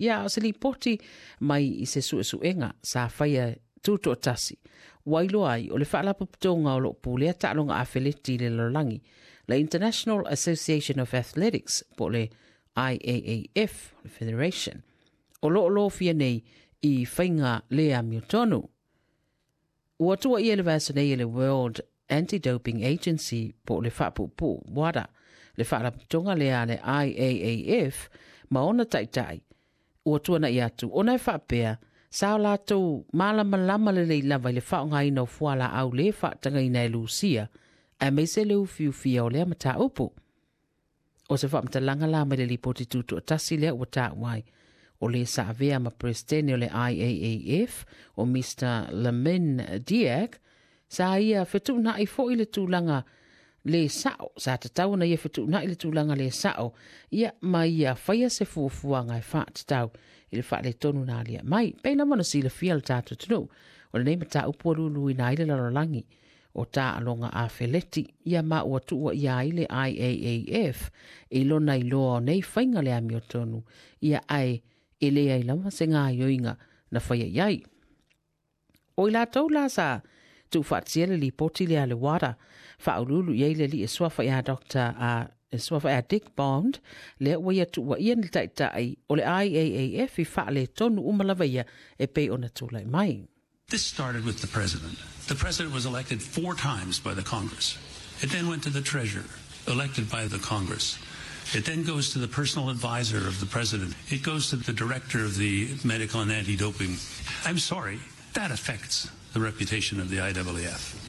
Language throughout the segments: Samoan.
Ia, o se lipoti mai i se suesuega sa faia tutoatasi ua iloa ai o le faalapotopotoga o loo pulea taaloga afeleti i le lalolagi, le International Association of Athletics po o le IAAF, le Federation, o loo lofia nei i faiga le amiotonu. Ua tuuaia i le vaiaso nei e le World Anti-Doping Agency po o le faapuupuu WADA le faalapotopotoga lea a le IAAF ma ona taitai ua tuanai atu ona e faapea sa o latou malamalama lelei lava i le faaaogaina o fualaau le faatagaina e Lusia aemaise le ufiufia o lea mataupu. O se faamatalaga la mai le lipoti tutoatasi lea ua taua ai o le sa avea ma Peresetene o le IAAF o Mr. Lamin Diak, sa ia fetuunai foi le tulaga le sao, sa tatau ona ia fetuunai le tulaga le sao, ia ma ia faia se fuafuaga e faatatau i le faaletonu na alia mai. Pei lava ona silafia le tatou atunuu, o lenei mataupu ua luluina ai le lalolagi o taaloga afeleti, ia ma ua tuuaia ai le IAAF i lona iloa o nei faiga le amiotonu, ia ae e leai lava se gaoioiga na faia i ai. O i latou la sa tuufaatasia le lipoti lea a le WADA, faauluulu i ai le alii e suafa ia Dr. e suafa ia Dick Bond, lea ua ia tuuaia ni taitai o le IAAF i faaletonu uma lava ia e pei ona tulai mai. This started with the president. The president was elected four times by the Congress. It then went to the treasurer, elected by the Congress. It then goes to the personal advisor of the president. It goes to the director of the medical and anti-doping. I'm sorry, that affects the reputation of the IAAF.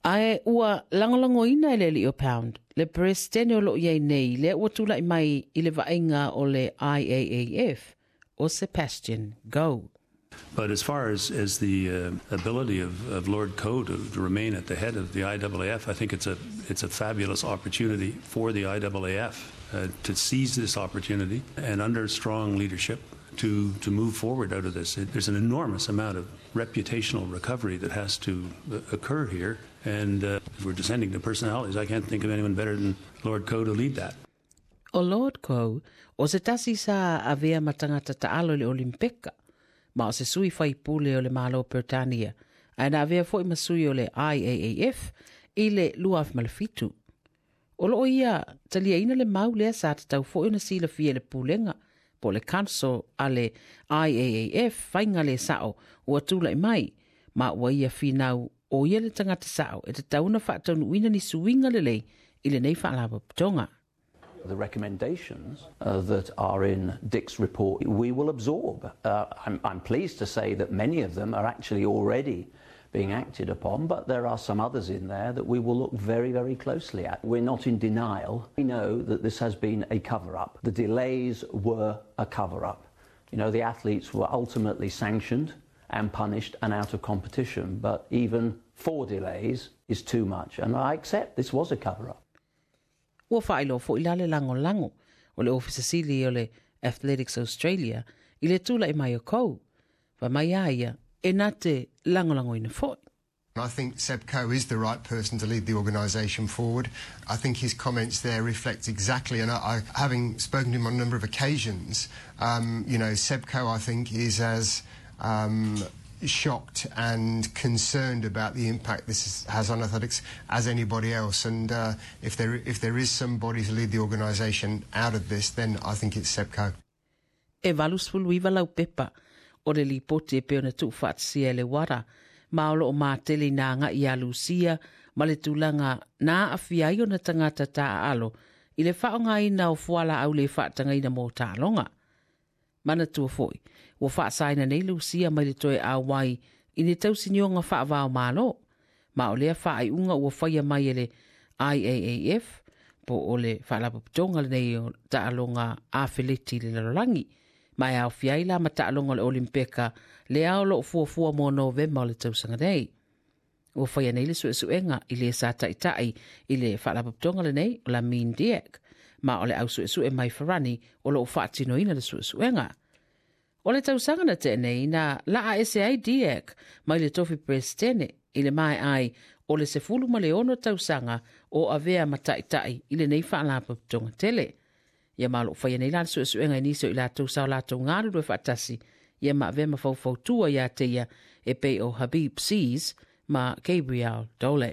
Ae ua lagolagoina e le alii o Pound le Peresetene o loo i ai nei lea ua tulai mai i le vaaiga o le IAAF o Sebastian Coe. But as far as the ability of Lord Coe to remain at the head of the IAAF, I think it's a fabulous opportunity for the IAAF to seize this opportunity and, under strong leadership, to move forward out of this. There's an enormous amount of reputational recovery that has to occur here. And if we're descending to personalities, I can't think of anyone better than Lord Coe to lead that. O Lord Coe, o se tasi sa avea ma tagata taalo i le Olimpeka, ma o se sui faipule o le Malo o Peretania, ae na avea foi ma sui o le IAAF i le 2007. O loo ia taliaina le mau lea sa tatau foi ona silafia e le pulega po o le Council a le IAAF faiga le sao ua tulai mai, ma ua ia finau o ia le tagata sao e tatau ona faataunuuina ni suiga lelei i lenei faalapotopotoga. The recommendations that are in Dick's report, we will absorb. I'm pleased to say that many of them are actually already being acted upon, but there are some others in there that we will look very, very closely at. We're not in denial. We know that this has been a cover up. The delays were a cover up. The athletes were ultimately sanctioned and punished and out of competition, but even four delays is too much. And I accept this was a cover up. Ua faailoa foi la le lagolago o le Ofisa Sili o le Athletics Australia i le tulai mai o Coe. Fai mai a ia e na te lagolagoina foi. I think Seb Coe is the right person to lead the organisation forward. I think his comments there reflect exactly, and having spoken to him on a number of occasions, Seb Coe, I think, is as shocked and concerned about the impact this has on athletics as anybody else. And if there is somebody to lead the organisation out of this, then I think it's Seb Coe. E 89 lau pepa o le lipoti e pei ona tuufaatasia e le WADA, ma o loo matele ina agai ia Lusia ma le tulaga na aafia ai ona tagata taaalo i le faaaogaina o fualaau le faatagaina mo taaloga. Manatua foi, ua faasaina nei Lusia mai le toe auai i ni tausinioga faavao malo, ma o lea faaiuga ua faia mai e le IAAF po o le faalapotopotoga lenei o taaloga afeleti i le lalolagi, ma e aofia ai la ma taaloga o le Olimpeka lea o loo fuafua mo Novema o le tausaga nei. Ua faia nei le suesuega i le sa taitai i le faalapotopotoga lenei o Lamin Diak, ma o le au suesue mai Farani o loo faatinoina le suesuega. O le tausaga na tea nei na laa ese ai Diak mai le tofi Peresetene i le maea ai o le 16 tausaga o avea ma taitai i lenei faalapotopotoga tele. Ia ma o loo faia nei la le suesuega i nisi o i latou sa o latou galulue faatasi ia ma avea ma faufautua ia te ia e pei o Habib Seas ma Gabriel Dole.